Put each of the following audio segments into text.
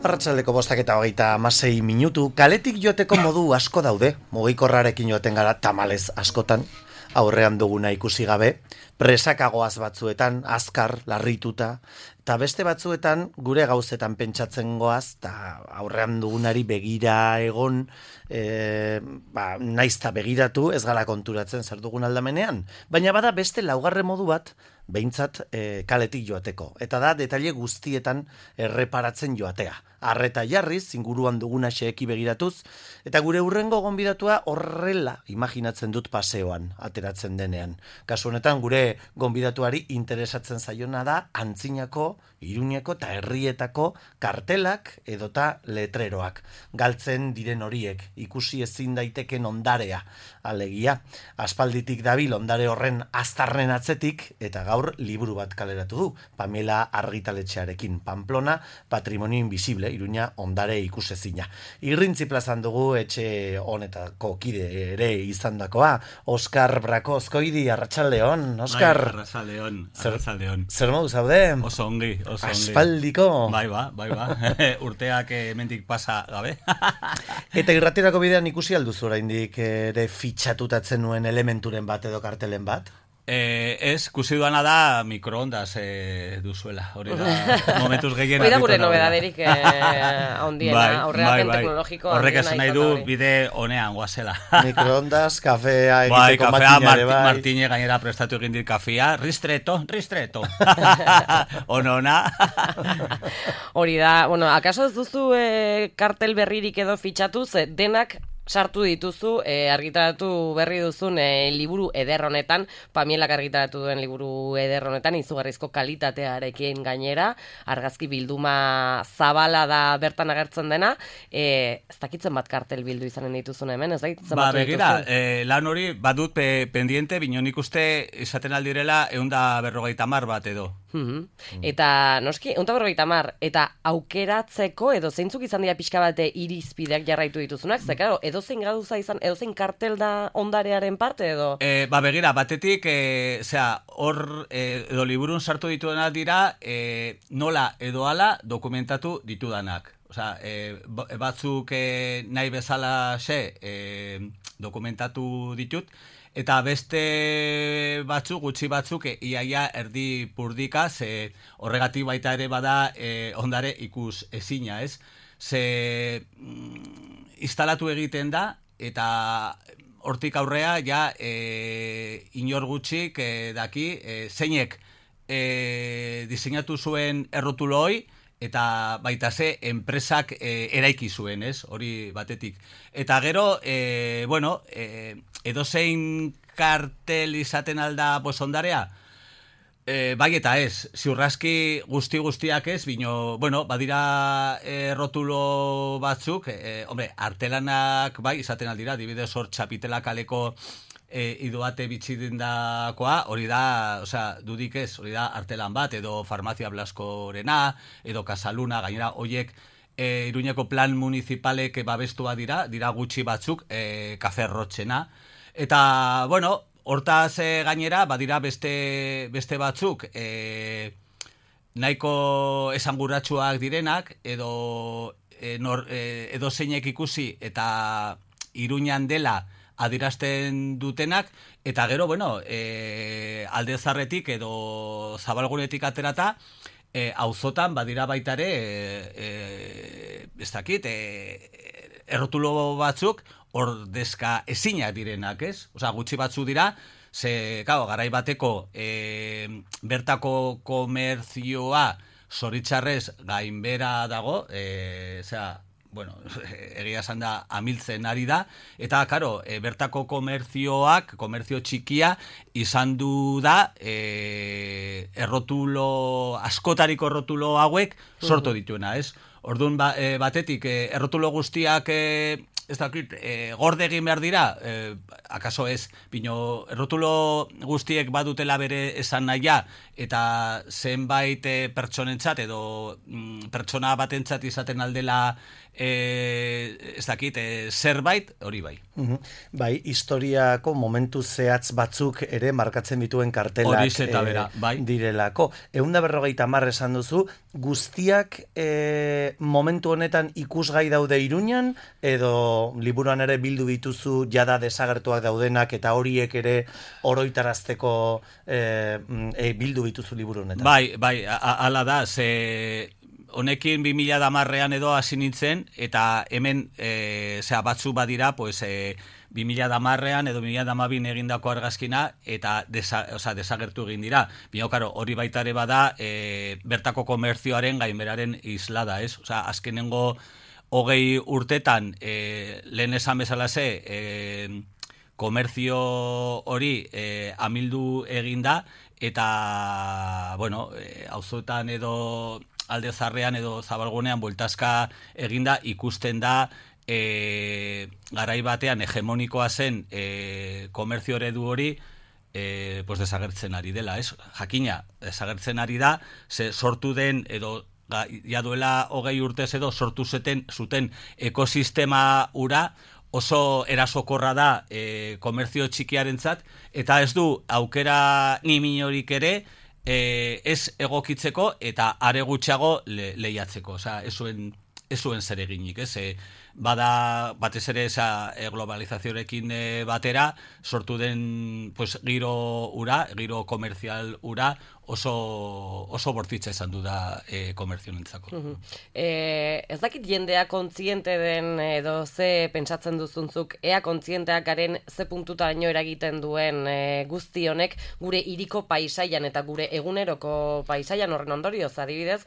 Arratsaldeko 5:26, kaletik joateko modu asko daude, mugikorrarekin joaten gara tamalez askotan, aurrean duguna ikusi gabe, presakagoaz batzuetan, azkar, larrituta, eta beste batzuetan gure gauzetan pentsatzen goaz, eta aurrean dugunari begira egon, naizta begiratu, ez gara konturatzen zer dugun aldamenean, baina bada beste laugarren modu bat, behintzat kaletik joateko. Eta da, detaile guztietan erreparatzen joatea. Arreta jarriz, inguruan duguna xeeki begiratuz, eta gure hurrengo gonbidatua horrela imaginatzen dut paseoan, ateratzen denean. Kasu honetan, gure gonbidatuari interesatzen zaiona da, Antzinako, Iruñeko eta herrietako kartelak edota letreroak. Galtzen diren horiek, ikusi ezin daiteken ondarea, alegia. Aspalditik dabil ondare horren aztarren atzetik, eta gaur liburu bat kaleratu du, Pamela argitaletxearekin, Pamplona, Patrimonio Invisible, Iruña ondare ikusezina. Irrintzi plazan dugu etxe honetako kide ere izandakoa, Oskar Brakozkoidi, arratsaldeon, Oskar. Bai, arratsaldeon. Zer modu zaude? Oso ongi. Aspaldiko. Bai ba. Urteak hemendik pasa gabe. Eta irratirako bidean ikusi alduzu oraindik ere fitxatutatzen nuen elementuren bat edo kartelen bat? Ez, kusi duana da mikroondas duzuela. Hori da, momentuz gehien. Hori da gure nobedaderik handiena, aurrerapen teknologiko. Horrek esan nahi du bide honean guazela. Mikroondas, kafea egiteko kafea, makinare bai. Martine gainera prestatu egin dit kafea, ristreto. Ona. Hori da, bueno, akaso ez duzu kartel berririk edo fitxatuz, denak sartu dituzu, argitaratu berri duzun liburu eder honetan, Pamielak argitaratu duen liburu eder honetan, izugarrizko kalitatearekin gainera, argazki bilduma zabala da bertan agertzen dena, ez dakitzen bat kartel bildu izanen dituzun hemen, ez dakitzen bat begira, lan hori badut pendiente, binon ikuste izaten aldirela 150 bat edo. Eta noski, 150, eta aukeratzeko edo zeintzuk izan dira pixka bate irizpideak jarraitu dituzunak, ze claro, edozein gaduza izan, edozein kartel da ondarearen parte edo? Begira, batetik, hor edo liburun sartu dituenak dira, nola edo ala dokumentatu ditudanak. Osea, batzuk nahi bezala dokumentatu ditut, eta beste gutxi batzuk, iaia erdi purdika, horregatik baita ere bada ondare ikus ezina, ez? Ze instalatu egiten da, eta hortik aurrea, ja, inor gutxik daki, zeinek diseinatu zuen errotulo hoi, eta baita ze enpresak eraiki zuen, ez? Hori batetik. Eta gero, edozein kartel izaten alda ondarea? Bai eta ez, ziurraski guztiak ez, bino, badira rotulo batzuk, artelanak bai izaten aldira, dibidez hor Txapitela kaleko idoate bitxidendakoa, hori da, dudik ez, hori da artelan bat, edo Farmazia Blaskorena, edo Casaluna, gainera, hoiek Iruñeko plan municipalek babestua dira gutxi batzuk, Kafe Rotxena, eta, hortaz gainera, badira beste batzuk, nahiko esanguratsuak direnak, edo zeinek ikusi, eta Iruñan dela, adierazten dutenak, eta gero, alde zarretik edo zabalgunetik aterata, auzotan badira baitare, ez dakit, errotulo batzuk ordezka ezinak direnak, ez? Osea, gutxi batzu dira, garai bateko bertako komerzioa zoritxarrez gainbera dago, egia esan da amiltzen ari da, eta, bertako komerzio txikia izan du da askotariko errotulo hauek sortu dituena, ez? Orduan batetik, errotulo guztiak ez dakit, gorde egin behar dira, akaso ez, bino errotulo guztiek badutela bere esan nahia, eta zenbait pertsonentzat edo pertsona batentzat izaten aldela ez dakit, zerbait, hori bai. Bai, historiako momentu zehatz batzuk ere markatzen dituen kartelak bai. Direlako. 150 esan duzu, guztiak momentu honetan ikusgai daude Iruñan, edo liburuan ere bildu dituzu jada desagertuak daudenak eta horiek ere oroitarazteko bildu dituzu liburu honetan? Bai, hala da, honekin 2010ean edo hasi nintzen, eta hemen batzu badira, pues, 2010ean edo 2012 egindako argazkina, eta desagertu egin dira. Bino, karo, hori baita ere bada, bertako komerzioaren gainberaren islada, ez? Osea, azkenengo 20 urtetan, lehen esan bezalase, komerzio hori amildu eginda, eta, bueno, auzoetan edo alde zarrean edo zabalgunean bueltazka eginda ikusten da garai batean hegemonikoa zen komerzio eredu hori pues desagertzen ari dela, ez? Jakina, desagertzen ari da, sortu den edo ja duela 20 urtez edo sortu zuten ekosistema ura oso erasokorra da komerzio txikiarentzat, eta ez du aukera ni minorik ere ez egokitzeko eta are gutxiago lehiatzeko. Osea, ez zuen zer eginik, ez? Bada batez ere globalizazioarekin batera sortu den pues giro komerzial ura oso bortitza izan du da komerzionentzako. Ez dakit jendea kontziente den edo ze pentsatzen duzuntzuk, ea kontzienteak garen ze puntutaino eragiten duen guzti honek gure hiriko paisaian eta gure eguneroko paisaian. Horren ondorioz, adibidez,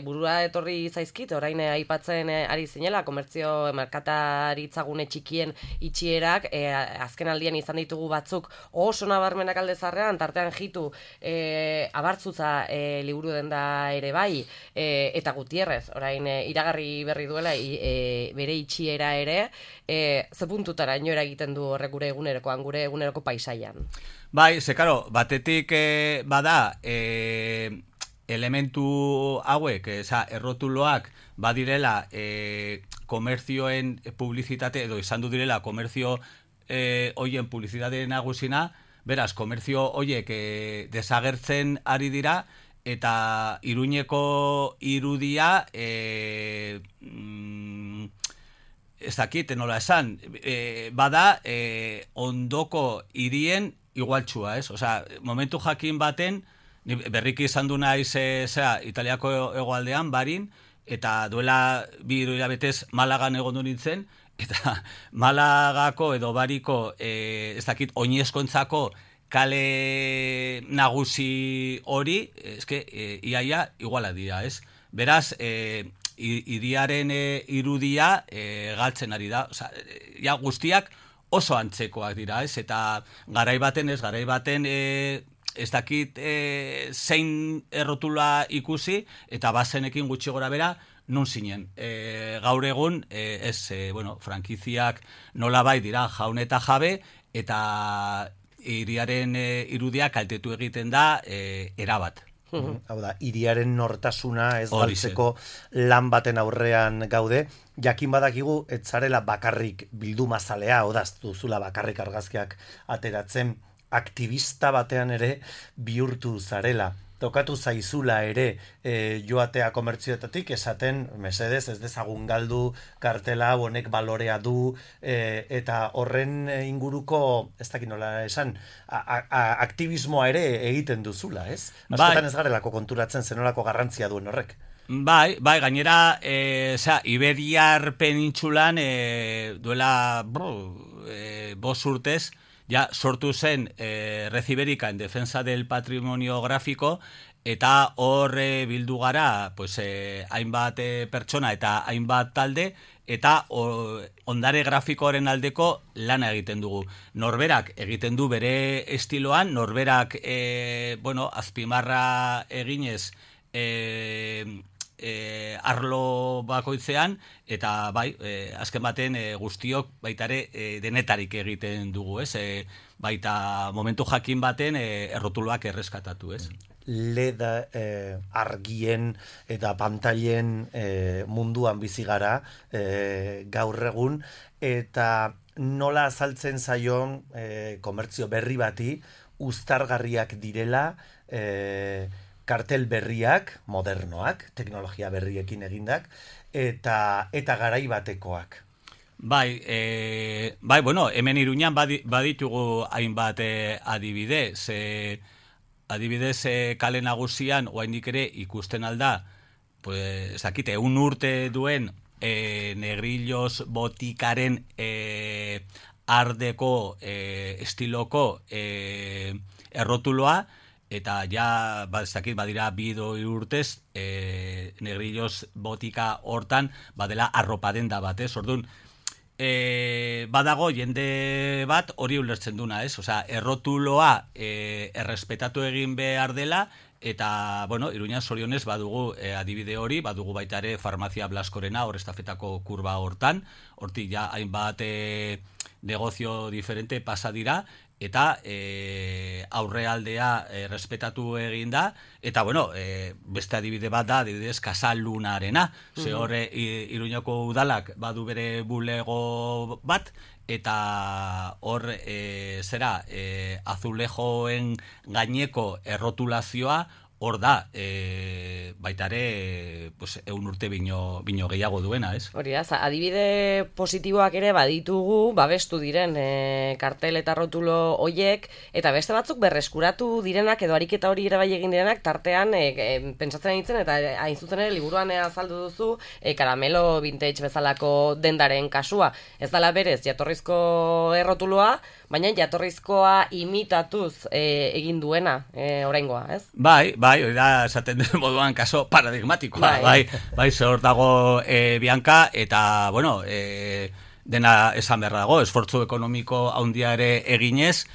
burua etorri zaizkit, orain aipatzen ari zinela, komertzio merkataritzagune txikien itxierak, azken aldian izan ditugu batzuk oso nabarmenak alde zarrean, tartean jitu abartzuza liburu denda ere bai, eta Gutierrez, orain iragarri berri duela bere itxiera ere, ze puntutara ino eragiten du horrek gure eguneroko paisaian. Bai, karo, batetik bada elementu hauek, errotuloak badirela komerzioen publizitate, edo izan du direla komerzio hoien publizitate nagusina, beraz, komerzio hoiek desagertzen ari dira, eta Iruñeko irudia ez dakit, nola esan, bada ondoko hirien igualtxua, ez? Osea, momentu jakin baten, berriki izan du naiz Italiako hegoaldean, Barin, eta duela 2 hilabetez Malagan egondu nintzen, eta Malagako edo Bariko, ez dakit, oinezkontzako kale nagusi hori, iaia iguala dira, ez? Beraz, hiriaren irudia galtzen ari da, ja guztiak oso antzekoak dira, ez? Eta garai baten ez dakit zein errotula ikusi, eta bazenekin gutxi gora bera, nun zinen. Gaur egun, frankiziak nolabait dira jaun eta jabe, eta hiriaren irudia kaltetu egiten da erabat. Hau da, hiriaren nortasuna ez galtzeko lan baten aurrean gaude, jakin badakigu ez zarela bakarrik bildumazalea, odaz duzula bakarrik argazkiak ateratzen, aktivista batean ere bihurtu zarela. Tokatu zaizula ere joatea komertzioetatik esaten, mesedez, ez dezagun galdu kartela, honek balorea du, eta horren inguruko, ez dakit nola esan, aktivismoa ere egiten duzula, ez? Askotan ez garelako konturatzen zenolako garrantzia duen horrek. Bai, gainera, Iberiar penintxulan duela 5 urtez, ja sortu zen Red Ibérica en defensa del patrimonio gráfico, eta hor bildu gara hainbat pertsona eta hainbat talde, eta ondare grafikoaren aldeko lana egiten dugu. Norberak egiten du bere estiloan, norberak azpimarra eginez arlo bakoitzean, eta bai, azken baten guztiok baitare denetarik egiten dugu, ez? Baita momentu jakin baten errotuloak erreskatatu, ez? Leda argien eta pantailen munduan bizi gara gaur egun, eta nola azaltzen zaion komertzio berri bati uztargarriak direla kartel berriak, modernoak, teknologia berriekin egindak, eta garai batekoak. Bai, bueno, hemen Iruñan baditugu hainbat adibide, adibidez kale nagusian oraindik ere ikusten alda, pues, ez dakite, urte duen Negrillos botikaren ardeko estiloko errotuloa, eta ja, ez dakit, badira 2 urtez, Negrillos botika hortan, badela arropadenda bat, ez? Orduan, badago jende bat hori ulertzen duna, ez? Osea, errotuloa errespetatu egin behar dela, eta, bueno, Iruña zorionez badugu adibide hori, badugu baita ere Farmazia Blaskorena, hor estafetako kurba hortan, hortik ja hainbat negozio diferente pasa dira, eta aurrealdea respetatu egin da, eta, bueno, beste adibide bat da, adibidez, Kasalunarena, ze horre Iruñako udalak badu bere bulego bat, eta hor azulejoen gaineko errotulazioa hor da, baita ere, pues, 100 urte bino gehiago duena, ez? Hori da, adibide positiboak ere baditugu, babestu diren kartel eta rotulo hoiek, eta beste batzuk berreskuratu direnak, edo ariketa hori ere bai egin direnak, tartean, pentsatzen ditzen, eta hain zuzen ere, liburuan azaldu duzu, karamelo vintage bezalako dendaren kasua. Ez dala berez, jatorrizko errotuloa, baina jatorrizkoa imitatuz egin duena oraingoa, ez? Bai, hori da, esaten den moduan kaso paradigmatikoa, bai, zehor dago Bianca, eta, bueno, dena esan beharra dago, esfortzu ekonomiko handia ere eginez,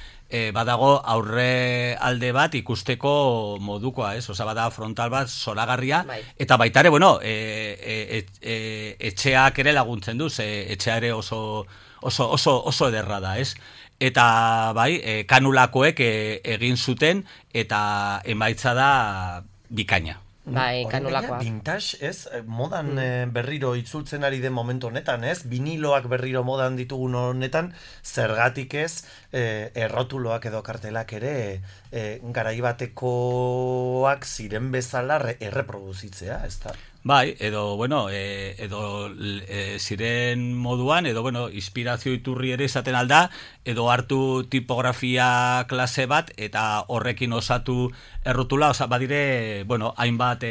badago aurre alde bat ikusteko modukoa, ez? Osa, bada frontal bat zoragarria, eta baita ere, bueno, etxeak ere laguntzen du, etxea ere oso ederra da, ez? Eta bai, kanulakoek egin zuten, eta emaitza da bikaina. Bai, kanulakoa. Vintage, ez? Modan berriro itzultzen ari den momentu honetan, ez? Viniloak berriro modan ditugun honetan, zergatik ez, errotuloak edo kartelak ere garaibatekoak ziren bezala erreproduzitzea, ez da? Bai, edo, bueno, ziren moduan, edo, bueno, inspirazio iturri ere izaten alda, edo hartu tipografia klase bat, eta horrekin osatu errotula, osa, badire, bueno, hainbat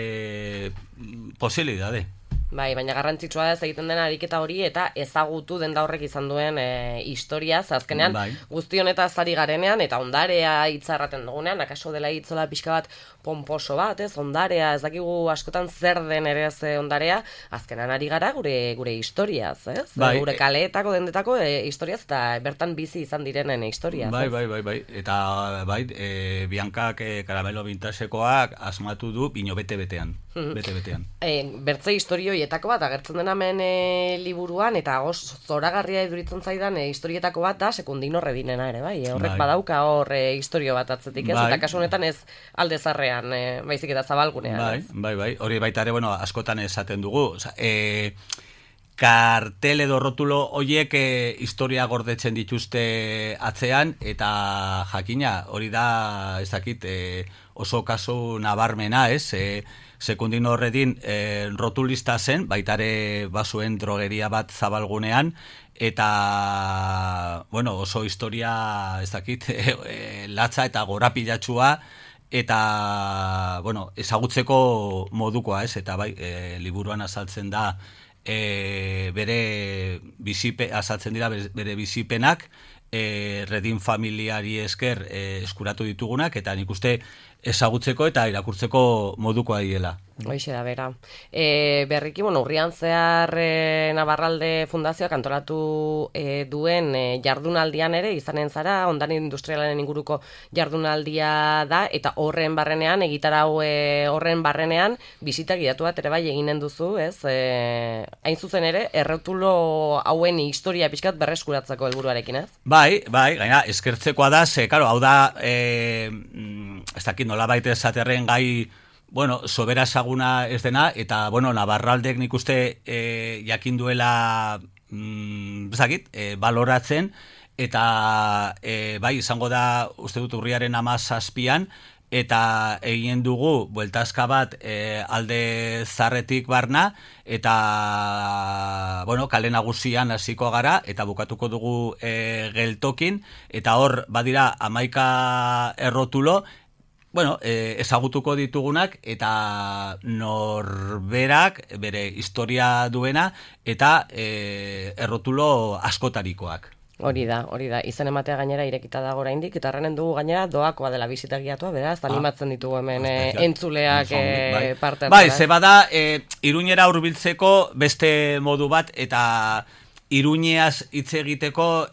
posibilidade. Bai, baina garrantzitsua ez egiten den ariketa hori eta ezagutu denda horrek izan duen historiaz, azkenean guzti honetaz ari garenean eta ondarea hitzarraten dugunean, akaso dela hitzola pixka bat pomposo bat, ez, ondarea, ez dakigu askotan zer den ere ez ondarea, azkenean ari gara gure historiaz, ez? Gure kaleetako dendetako historiaz eta bertan bizi izan direnen historiaz. Bai, eta Biancak karamelo vintagekoak asmatu du bino bete-betean. Bertze historioietako bat agertzen den hemen liburuan, eta zoragarria iduritzen zaidan historietako bat da Sekundino Redinena ere, bai, horrek badauka hor historio bat atzetik, ez? Eta kasu honetan ez alde zarrean, baizik eta zabalgunean. Bai, hori baita ere, bueno, askotan esaten dugu, kartel edo rotulo hoiek historia gordetzen dituzte atzean, eta jakina, hori da, ez dakit, oso kasu nabarmena, ez? Sekundino Redin rotulista zen, baitare bazuen drogeria bat zabalgunean, eta, bueno, oso historia, ez dakit, latza eta gorapilatxua, eta, bueno, ezagutzeko modukoa, ez? Eta bai, liburuan azaltzen da, azaltzen dira bere bizipenak, Redin familiari esker eskuratu ditugunak, eta nik uste ezagutzeko eta irakurtzeko modukoa diela. Hoixe da, bera. Berriki, urrian zehar Navarralde Fundazioak antolatu duen jardunaldian ere, izanen zara, ondare industrialaren inguruko jardunaldia da, eta horren barrenean, egitarau horren barrenean, bisita gidatu bat ere bai eginen duzu, ez? Hain zuzen ere, errotulo hauen historia pixkat berreskuratzeko helburuarekin, ez? Bai, gaina, eskertzekoa da, karo, hau da, ez dakit nola baita esaterren gai, bueno, sobera esaguna ez dena, eta, bueno, Navarraldek nik uste jakin duela, baloratzen, eta bai, izango da, uste dut urriaren 17an, eta egin dugu bueltazka bat alde zarretik barna, eta bueno, kale nagusian hasiko gara, eta bukatuko dugu geltokin, eta hor badira 11 errotulo, bueno, ezagutuko ditugunak, eta norberak bere historia duena, eta errotulo askotarikoak. Hori da, izen ematea gainera irekita dago oraindik, eta erranen dugu gainera doakoa dela bisita giatua, beraz, animatzen ditugu hemen entzuleak parte. Bai, ze bada, Iruñera hurbiltzeko beste modu bat, eta Iruñeaz hitz egiteko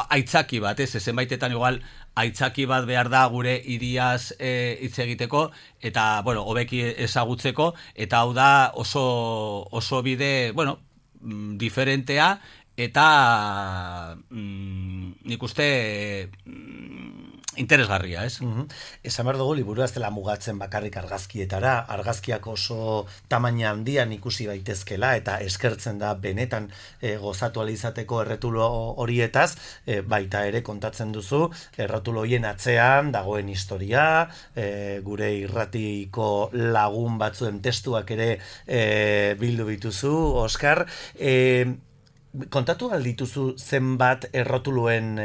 aitzaki bat, zenbaitetan igual aitzaki bat behar da gure hiriaz hitz egiteko, eta, bueno, hobeki ezagutzeko, eta hau da oso bide, bueno, diferentea, eta nik uste interesgarria, ez? Esan behar dugu, liburua ez dela mugatzen bakarrik argazkietara, argazkiak oso tamaina handian ikusi baitezkela, eta eskertzen da benetan gozatu alizateko erretulo horietaz, baita ere kontatzen duzu, erretulo horien atzean dagoen historia, gure irratiko lagun batzuen testuak ere bildu bituzu, Oskar, kontatu aldituzu zenbat errotuluen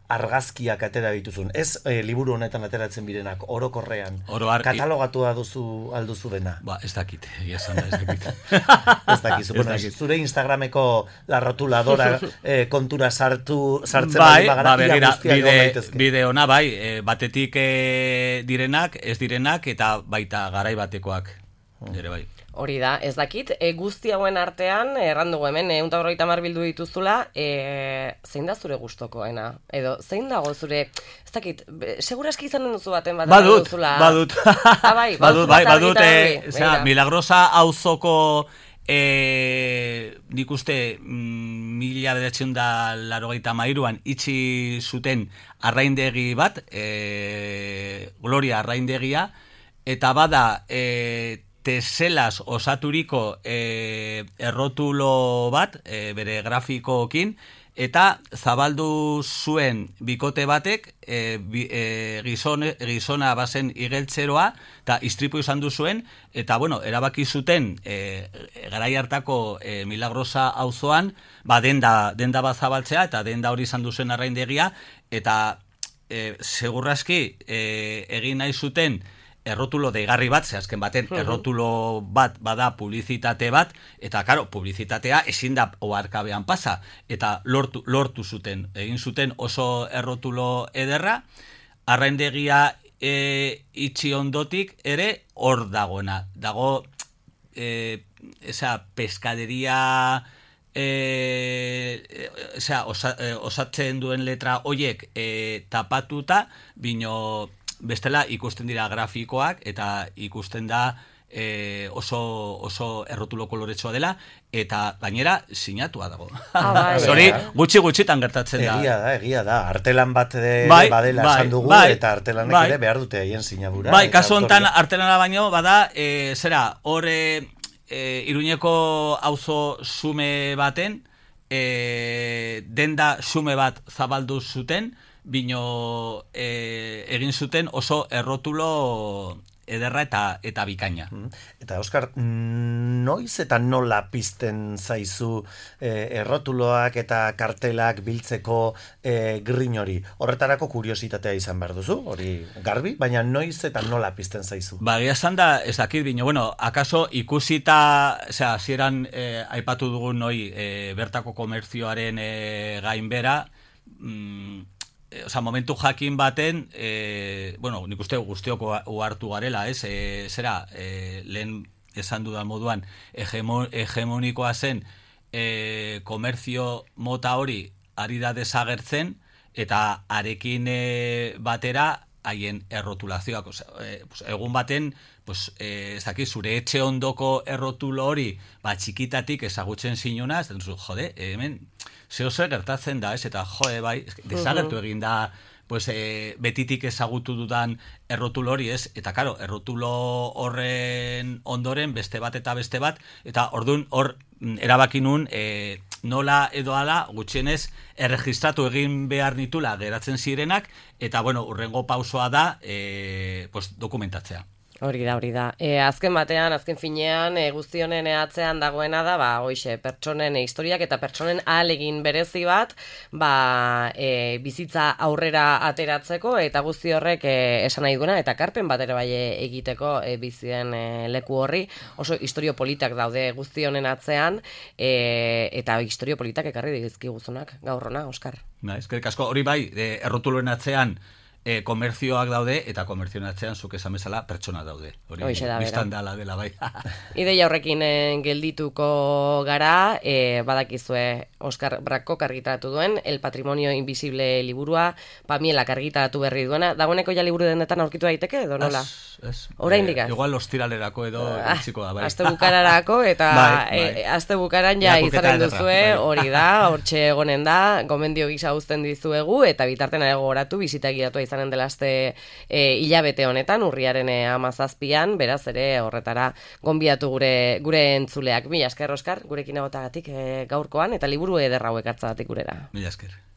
argazkiak atera dituzun. Ez liburu honetan ateratzen birenak, orokorrean. Katalogatua alduzu dena. Ba, ez dakit, esan da, ez dakit. Ez dakizu. Bueno, zure Instagrameko la rotuladora kontura sartzen begira, bide ona, bai, batetik direnak, ez direnak, eta baita garai batekoak. Ere bai. Hori da, ez dakit, guzti hauen artean, errandugu hemen, 150 bildu dituzula, zein da zure gustokoena? Edo, zein dago zure, ez dakit, seguraski izanen duzu baten bat duzula? Badut. Badut, Milagrosa auzoko, nik uste, 1983an itxi zuten arraindegi bat, Gloria arraindegia, eta bada, teselas osaturiko errotulo bat, bere grafikoekin, eta zabaldu zuen bikote batek, gizona bazen igeltzeroa, eta istripu izan du zuen, eta bueno, erabaki zuten garai hartako Milagrosa auzoan, denda bat zabaltzea, eta denda hori izan du zuen arraindegia, eta segurraski egin nahi zuten errotulo deigarri bat, ze azken baten errotulo bat bada publizitate bat, eta karo, publizitatea ezin da oharkabean pasa, eta lortu zuten, egin zuten oso errotulo ederra, arraindegia itxi ondotik ere hor dagoena. Dago, peskaderia osatzen duen letra hoiek tapatuta, bino bestela ikusten dira grafikoak eta ikusten da oso errotulo koloretsua dela, eta gainera sinatua dago. Hori gutxi-gutxitan gertatzen da. Egia da. Artelan bat badela esan dugu, eta artelanek ere behar dute haien sinadura. Bai, kasu honetan artelana baino, bada, hor Iruñeko auzo xume baten, denda xume bat zabaldu zuten, bino egin zuten oso errotulo ederra eta bikaina. Eta Oskar, noiz eta nola pizten zaizu errotuloak eta kartelak biltzeko grin hori? Horretarako kuriositatea izan behar duzu, hori garbi, baina noiz eta nola pizten zaizu? Egia esan da, ez dakit, bino, bueno, akaso ikusita, hasieran aipatu dugun noi bertako komerzioaren gainbera, momentu jakin baten, nik uste guztioko uhartu garela, lehen esan dudan moduan, hegemonikoa zen komerzio mota hori ari da desagertzen, eta arekin batera haien errotulazioak. Egun baten, ez dakit, zure etxe ondoko errotulo hori, txikitatik ezagutzen zinuna, ez duzu, jode, hemen, zeo gertatzen da, eta jode, bai, desagertu egin da, betitik ezagutu dudan errotulo hori, eta karo, errotulo horren ondoren beste bat, eta orduan hor erabaki nun nola edo ala gutxienez erregistratu egin behar nitula geratzen zirenak, eta bueno, urrengo pausoa da dokumentatzea. Hori da. Azken batean, azken finean, guzti honen atzean dagoena da, hoixe, pertsonen historiak eta pertsonen ahalegin berezi bat, bizitza aurrera ateratzeko, eta guzti horrek esan nahi duena, eta karpen bat ere bai egiteko bizien leku horri, oso historio politak daude guzti honen atzean, eta historio politak ekarri dizkiguzunak gaur hona, Oskar. Eskerrik asko, hori bai, errotuluen atzean, komertzioak daude, eta komertzioen atzean zuk esan bezala pertsona daude. Hori biztan dela bai. Ideia horrekin geldituko gara, badakizue Oskar Brakok argitaratu duen, El Patrimonio Invisible liburua, Pamielak argitaratu berri duena, dagoeneko ja liburu dendetan aurkitu daiteke, edo nola? Oraindik az? Igual ostiralerako edo iritsiko da, bai. Aste bukararako, eta aste bukaran ja izanen duzue, hori da, hortxe egonen da, gomendio gisa uzten dizuegu, eta bitarten gogoratu, bisita gidatua izanen dela aste hilabete honetan, urriaren 17an, beraz ere horretara gonbidatu gure entzuleak. Mila esker, Oskar, gurekin egotagatik gaurkoan, eta liburu ederra hauek hartzagatik gurera. Mila esker.